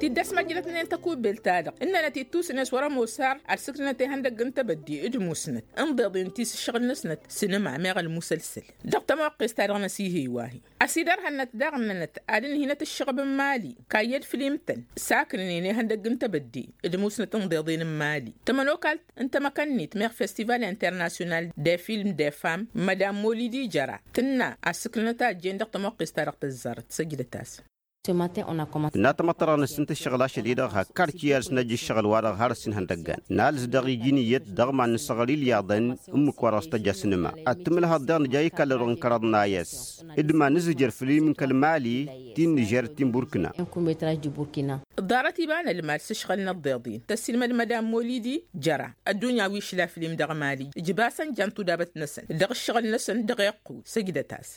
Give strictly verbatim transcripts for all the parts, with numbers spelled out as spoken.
Tidd-ăsmăjjălătnen tăkubbelt-ta-dăɣ ǝnnănăt ittus-net wăr-ămoos har ad-sǝknănăt ihăndăgg n-tebădde d-musnăt ǝnḍeḍ-in ti s-ǝššăɣǝl-năsnăt sinǝma meɣ ălmusălsăl. Dăɣ-tămoqqes-ta-dăɣ n-ăsihey wa-hi ăsidărhănnăt daɣ ǝnnănăt ad-ǝnhinăt ǝššăɣb n-imali kayyăd fǝlim-tăn saknănen ihăndăgg n-tebădde d-musnăt ǝnḍeḍen n-imali. Tămănokalt n-tamăkănnit meɣ festival internasyonal de film de fam mădam molidi jăra tǝnna ad-sǝknănăt a ăjjeen dăɣ-tămoqqes-ta-dăɣ tăzzarăt săjdăt-as. Tǝnna tamăḍt-ta-dăɣ n-ǝssǝnt ǝššăɣǝl ašăl-i-dăɣ hăkk arci i-ad-sǝnăjj ǝššăɣǝl-wa-dăɣ har ăssin hăndăggan. Nalǝs daɣ iji n-iyyăt dăɣ-iman n-ǝssăɣăl ilyaḍăn ǝmmǝk-wa-dăɣ s-tăjja sǝnǝma ad-tǝmǝlhăḍ daɣ nǝja ikallăd-wăn kăraḍ-nay a-s d-iman n-azǝjăr fǝlim n-kăl-mali ti n-nižer ti n-burkina. Ḍarăt iba n-ălmal s-ǝšɣǝl n-ăḍḍeḍ-in tăssilmăd mădam molidi jăra ăddunya wi išla fǝlim dăɣ-mali ǝjbasăn jan tudabăt-năsăn dăɣ-ǝššăɣǝl-năsăn dăɣ-iqqǝw. Săjdăt-as.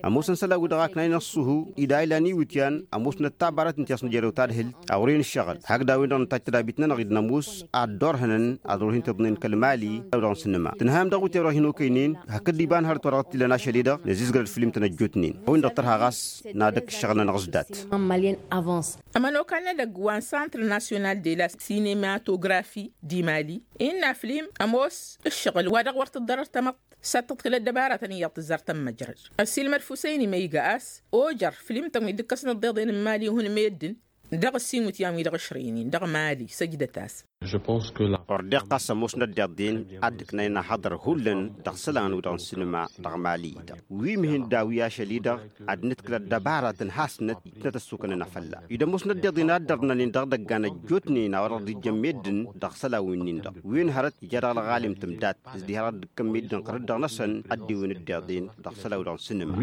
Ămoosăn isălan-wi-dăɣ aknayăn ăṣṣuhu ida ilan iwǝtyan ămoosnăt tabarăt n-ti a-s nǝjărew tadhǝlt a wăr-e-nǝššăɣǝl hakd a-wen-dăɣ nǝtajj tădabit-nănăɣ-dd nămoos ad-dd-orhănăn ad-wăr-hin-tiḍnen kăl-mali. Dăɣ-sǝnnǝma tǝnhăyăm dăɣ-iwǝtyan wăr-hin-okăynen hakd iba n-hărăt wa dăɣ-t-ilan ašăl-i-dăɣ năzizgărăd fǝlim-tăn ăjjootnen a-wen-dăɣ tărha ɣas n-ad-ăkk ǝššăɣǝl-nănăɣ s-dat. Ămănokal n-edăgg wa n-santr nasyonal de la sinematografi di mali innă fǝlim ămoos ǝššăɣǝl wa dăɣ-wăr tǝḍḍărăr tamăḍt s-ad-tǝḍkǝl ăddăbaratăn iyyăḍ tǝzzar tămmăjrăd. Ăssiilmăd fusăyni ma iga a-s ojer fǝlim-tăn wi dd-ǝkkăsnăt deḍen n-mali ihun meddǝn dăɣ-ăssiinwǝtyan-wi-dăɣ ǝšrăynen dăɣ-mali săjdăt-as. Ordeɣ ɣas ămoosnăt deḍen ad-dd-ǝknayăn ahăḍăr hullan dăɣ-isălan-wi-dăɣ n-sǝnǝma dăɣ-mali-i-dăɣ wi mǝhǝndaw i-ašăl-i-dăɣ ad-nǝdkǝl ăddăbaratăn hasnăt itnăt ăssukănăn afălla-i d-ămoosnăt deḍen ad-dărnănen dăɣ-idăggan ăjjootnen a-wa dăɣ-dd-ijjăn meddǝn dăɣ-isălan wi-nin-dăɣ. Wen hărăt ija dăɣ-ălɣalim tǝmdat s-diha dăɣ-dd-ǝkkăn meddǝn ɣărăt dăɣ-năsăn ăddiwen dd-iḍen dăɣ-isălan-wi-dăɣ n-sǝnǝma.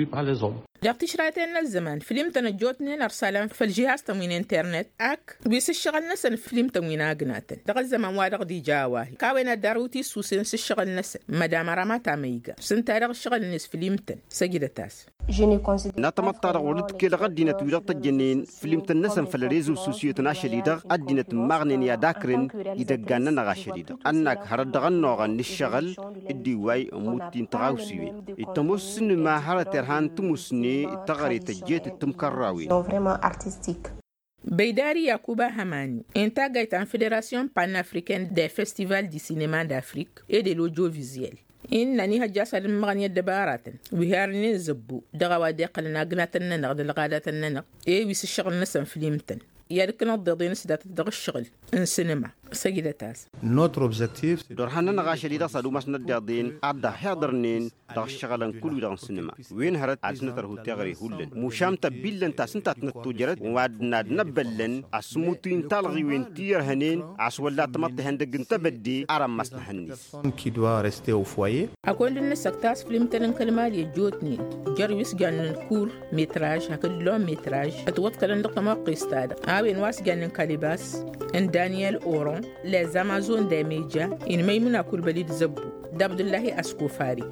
Dăɣ-tišrayten n-ăzzăman fǝlim-tăn ăjjootnen ărsal făll-žihaz-tăn wi n-internet ak wi s-ǝššăɣǝl-năsăn fǝlim-tăn wi n-agnatăn dăɣ-ăzzăman wa dăɣ-dd-ija a-wa-hi. Kawăyăn ad-darǝw tisusen s-ǝššăɣǝl-năsăn mădam ărămata ma iga s-ǝnta-dăɣ ǝššăɣǝl-net fǝlim-tăn. Săjdăt-as. N-atămăḍt-ta-dăɣ wăr dd-kelăɣ ăddinăt wi dăɣ-tăjjănen fǝlim-tăn-năsăn făll-rezo sosiyotăn ašăl-i-dăɣ ăddinăt ǝmmaɣnen i-ad-akrǝn idăggan-nănăɣ ašăl-i-dăɣ ănnak hărăt dăɣ-ănnuɣăn n-ǝššăɣǝl d-iwway ămmut-ti n-tiɣawsiwen. Dd-tămoos sǝnǝma hărăt irhan tǝmusne d-teɣăre tăjjet d-timkărrawen. Băydari yakuba hămani intagayt ta n-federasyon panafriken de festival di sinema d-afrik e de lodjovizyel innă n-ihăjja a-s ad-ǝmmăɣăn i-ăddăbaratăn wi harnen zăbbu dăɣ-a-wa dd-iqqălăn agnatăn-nănăɣ d-ălɣadatăn-nănăɣ e wi s-ǝššăɣǝl-năsăn fǝlim-tăn i-ad-ǝkkǝnăḍ deḍen s-datăt dăɣ-ǝššăɣǝl n-sǝnǝma. Săjdăt-as. Dd-orhan-nănăɣ ašăl-i-dăɣ s-ad-umasnăt deḍen ad-dd-ăhhiḍărnen dăɣ-ǝššăɣǝlăn kull-wi-dăɣ n-sǝnǝma wen hărăt ad-dăɣ-s nǝtărhu teɣăre hullan mušam tăbbillăn ta s-ǝnta a tăt-năttojărăt wa d-năbbăllăn a-s ǝmmut-in talɣiwen ti ărhănen a-s wălla tamăḍt ihăndăgg n-tebădde. Ar ămmas n-ehăn-net. Personne qui doit rester au foyer. Akund n-nǝsăk tasfǝlǝm-tăn n-kăl-mali ăjjootnen jer-wi s-jannen kur metraj hakd lon metraj ătwăḍkălăn dăɣ-tămoqqes-ta-dăɣ a-wen wa s-jannen kalibas n-daniyel oron lez amazon d-emeja inmăymǝn akulbăli d-zăbbu d-abdullahi askofari.